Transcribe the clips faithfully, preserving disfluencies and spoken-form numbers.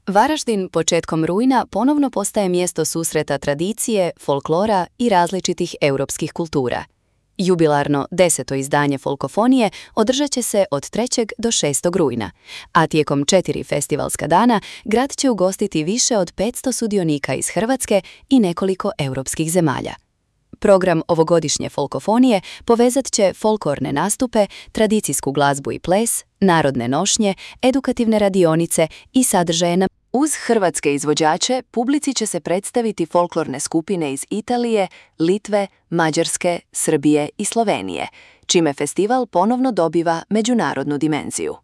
Varaždin početkom rujna ponovno postaje mjesto susreta tradicije, folklora i različitih europskih kultura. Jubilarno deseto izdanje Folkofonije održat će se od trećeg do šestog rujna, a tijekom četiri festivalska dana grad će ugostiti više od petsto sudionika iz Hrvatske i nekoliko europskih zemalja. Program ovogodišnje Folkofonije povezat će folklorne nastupe, tradicijsku glazbu i ples, narodne nošnje, edukativne radionice i sadržaje na... Uz hrvatske izvođače publici će se predstaviti folklorne skupine iz Italije, Litve, Mađarske, Srbije i Slovenije, čime festival ponovno dobiva međunarodnu dimenziju.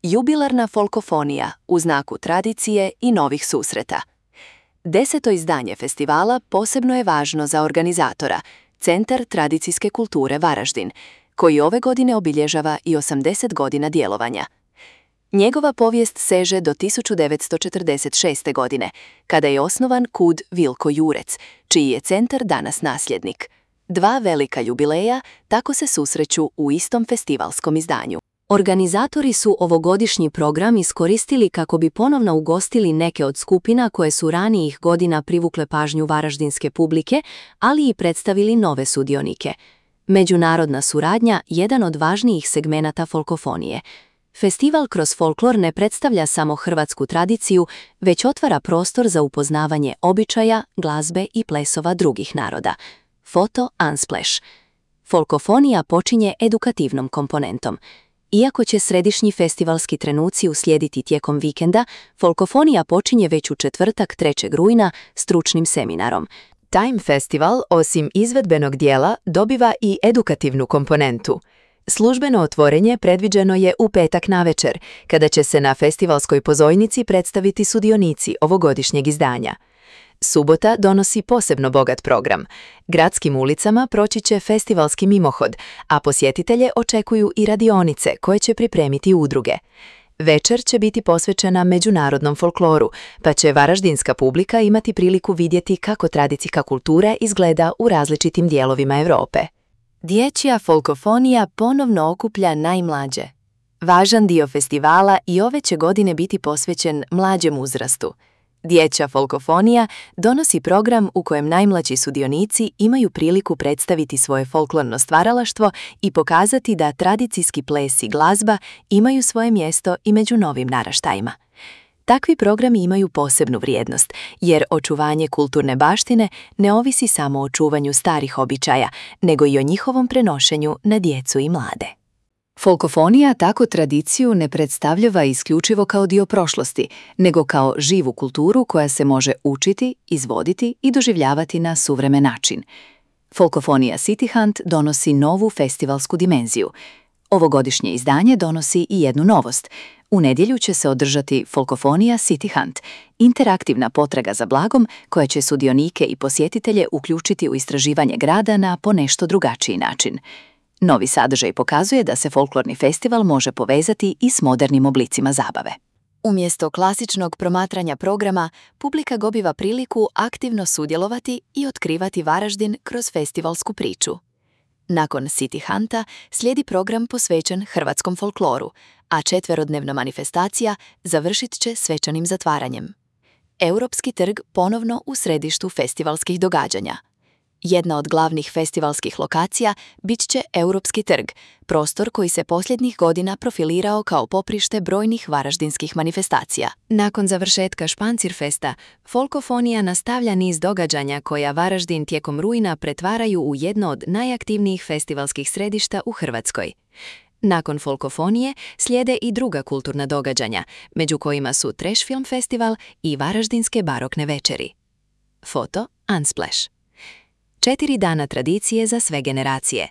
Jubilarna Folkofonija u znaku tradicije i novih susreta. Deseto izdanje festivala posebno je važno za organizatora, Centar tradicijske kulture Varaždin, koji ove godine obilježava i osamdeset godina djelovanja. Njegova povijest seže do tisuću devetsto četrdeset šeste. godine, kada je osnovan kud Vilko Jurec, čiji je centar danas nasljednik. Dva velika jubileja tako se susreću u istom festivalskom izdanju. Organizatori su ovogodišnji program iskoristili kako bi ponovno ugostili neke od skupina koje su ranijih godina privukle pažnju varaždinske publike, ali i predstavili nove sudionike. Međunarodna suradnja jedan od važnijih segmenata folkofonije. Festival kroz folklor ne predstavlja samo hrvatsku tradiciju, već otvara prostor za upoznavanje običaja, glazbe i plesova drugih naroda. Foto Unsplash. Folkofonija počinje edukativnom komponentom. Iako će središnji festivalski trenuci uslijediti tijekom vikenda, Folkofonija počinje već u četvrtak trećeg rujna stručnim seminarom. Time Festival, osim izvedbenog dijela, dobiva i edukativnu komponentu. Službeno otvorenje predviđeno je u petak navečer, kada će se na festivalskoj pozornici predstaviti sudionici ovogodišnjeg izdanja. Subota donosi posebno bogat program. Gradskim ulicama proći će festivalski mimohod, a posjetitelje očekuju i radionice koje će pripremiti udruge. Večer će biti posvećena međunarodnom folkloru, pa će varaždinska publika imati priliku vidjeti kako tradicijska kultura izgleda u različitim dijelovima Europe. Dječja folkofonija ponovno okuplja najmlađe. Važan dio festivala i ove će godine biti posvećen mlađem uzrastu. Dječja folkofonija donosi program u kojem najmlađi sudionici imaju priliku predstaviti svoje folklorno stvaralaštvo i pokazati da tradicijski ples i glazba imaju svoje mjesto i među novim naraštajima. Takvi programi imaju posebnu vrijednost, jer očuvanje kulturne baštine ne ovisi samo o čuvanju starih običaja, nego i o njihovom prenošenju na djecu i mlade. Folkofonija tako tradiciju ne predstavljava isključivo kao dio prošlosti, nego kao živu kulturu koja se može učiti, izvoditi i doživljavati na suvremen način. Folkofonija City Hunt donosi novu festivalsku dimenziju. Ovogodišnje izdanje donosi i jednu novost. U nedjelju će se održati Folkofonija City Hunt, interaktivna potraga za blagom koja će sudionike i posjetitelje uključiti u istraživanje grada na ponešto drugačiji način. Novi sadržaj pokazuje da se folklorni festival može povezati i s modernim oblicima zabave. Umjesto klasičnog promatranja programa, publika dobiva priliku aktivno sudjelovati i otkrivati Varaždin kroz festivalsku priču. Nakon City Hunta slijedi program posvećen hrvatskom folkloru, a četverodnevna manifestacija završit će svečanim zatvaranjem. Europski trg ponovno u središtu festivalskih događanja. Jedna od glavnih festivalskih lokacija bit će Europski trg, prostor koji se posljednjih godina profilirao kao poprište brojnih varaždinskih manifestacija. Nakon završetka Špancirfesta, Folkofonija nastavlja niz događanja koja Varaždin tijekom rujna pretvaraju u jedno od najaktivnijih festivalskih središta u Hrvatskoj. Nakon Folkofonije slijede i druga kulturna događanja, među kojima su Trash Film Festival i Varaždinske barokne večeri. Foto Unsplash. Četiri dana tradicije za sve generacije.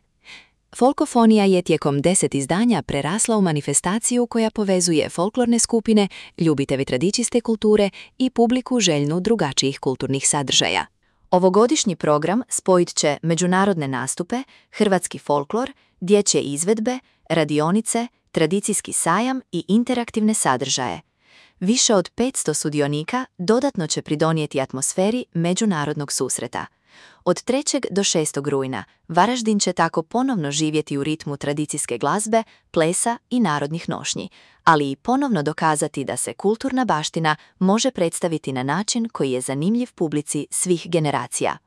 Folkofonija je tijekom deset izdanja prerasla u manifestaciju koja povezuje folklorne skupine, ljubitelji tradicijske kulture i publiku željnu drugačijih kulturnih sadržaja. Ovogodišnji program spojit će međunarodne nastupe, hrvatski folklor, dječje izvedbe, radionice, tradicijski sajam i interaktivne sadržaje. Više od petsto sudionika dodatno će pridonijeti atmosferi međunarodnog susreta. Od trećeg do šestog rujna Varaždin će tako ponovno živjeti u ritmu tradicijske glazbe, plesa i narodnih nošnji, ali i ponovno dokazati da se kulturna baština može predstaviti na način koji je zanimljiv publici svih generacija.